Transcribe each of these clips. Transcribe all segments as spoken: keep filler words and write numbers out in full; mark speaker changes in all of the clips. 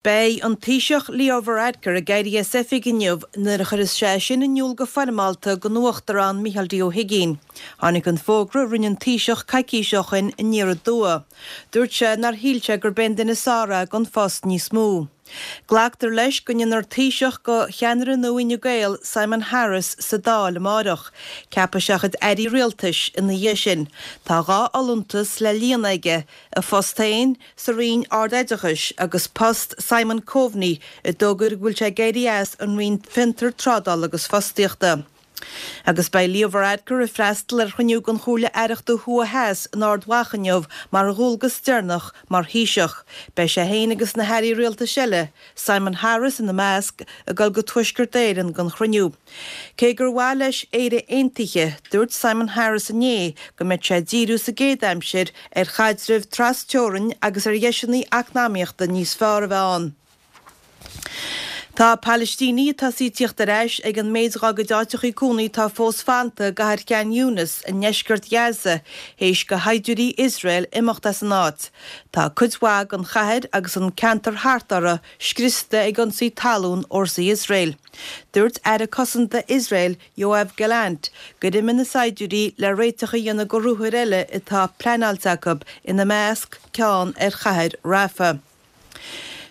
Speaker 1: Beidh an Taoiseach Leo Varadkar ag éirí as oifig inniu nuair a chuirfeas sé sin in iúl go foirmeálta don Uachtarán Micheál D. Ó hUigínn. Tháinig an fógra a rinne an Taoiseach coicís ó shin aniar aduaidh. Dúirt sé nár shíl sé gurb é an duine is fearr é don phost níos mó. Glactar leis go ndéanfar Taoiseach de cheannaire nua Fhine Gael, Simon Harris, sa Dáil amárach. Ceapfaidh sé a chuid airí rialtais ina dhiaidh sin. Tá dhá fholúntas le líonadh aige, a phost féin sa Roinn Ard-Oideachais agus post Simon Coveney a d'fhógair go bhfuil sé ag éirí as an Roinn Fiontar, Trádála agus Fostaíochta. Agus beidh Leo Varadkar ag freastal ar chruinniú den Chomhairle Aireachta Thuaidh Theas in Ard Mhacha inniu mar a dhualgas deireanach mar Thaoiseach. Beidh sé féin agus na hairí rialtais eile, Simon Harris ina measc, ag dul go Tuaisceart Éireann don chruinniú. Cé gur mhaith leis Éire Aontaithe, dúirt Simon Harris inné go mbeidh sé ag díriú sa gcéad aimsir ar chaidreamh trasteorann agus ar dheiseanna eacnamaíochta níos fearr a bheith ann. Tá Palaistínigh ag tosaí ag tíocht ar ais ag an méid dá gcuid áiteachaí cónaí atá fós fanta i gcathair Khan Younis i ndeisceart Ghaza théis do shaighdiúirí Iosrael imeacht as an áit. Tá cuid mhaith den chathair agus an ceantar thart uirthi scriosta ag ionsaí talún fhórsaí Iosrael. Dúirt Aire Cosanta Iosrael Yoav Gallant gur imigh na saighdiúirí le réiteach a dhéanamh do ruathair eile atá pleanáilte acu, ina measc ceann ar chathair Rafah.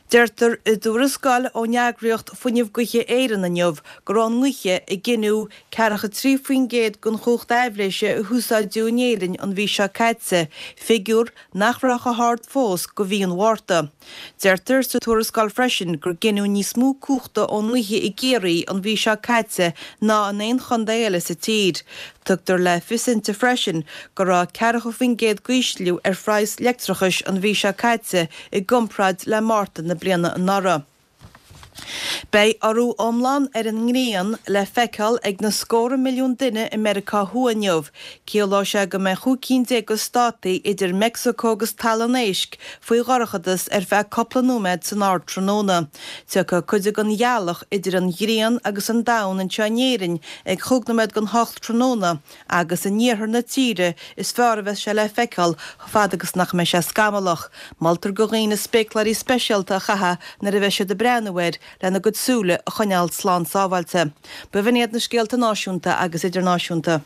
Speaker 1: Deirtear i dtuarascáil ón eagraíocht Fuinneamh Gaoithe Éireann inniu go raibh an ghaoth ag gineadh ceathracha trí faoin gcéad den chumhacht aibhléise a húsáideadh in Éirinn an mhí seo caite, figiúr nach raibh chomh hard fós go mhí an Mhárta. Deirtear sa tuarascáil freisin gur gineadh níos mó cumhachta ón ngaoth i gCiarraí an mhí seo caite ná in aon chontae eile sa tír. Tugtar le fios inti freisin go raibh ceathracha faoin gcéad d'ísliú ar phraghas leictreachais an mhí seo caite i gcomparáid le Márta na bliana anuraidh. Beidh urú iomlán ar an ngrian le feiceáil ag na scórtha milliún duine i Meiriceá Thuaidh inniu. Ciallóidh sé go mbeidh chúig cinn déag de státaí idir Meicsiceo agus Talamh an Éisc faoi dhorchadas ar feadh cúpla nóiméad san ardtráthnóna. Tiocfaidh cuid den ghealach idir an ghrian agus an domhan anseo in Éirinn ag chúig nóiméad don hocht tráthnóna agus in iarthar na tíre is fearr a bheas sé le feiceáil chomh fada agus nach mbeidh sé scamallach. Moltar do dhaoine spéacláirí speisialta a chaitheamh nuair a bheas siad ag breathnú air lena gcuid súile a choinneáil slán sábháilte. B'in iad na scéalta náisiúnta agus idirnáisiúnta.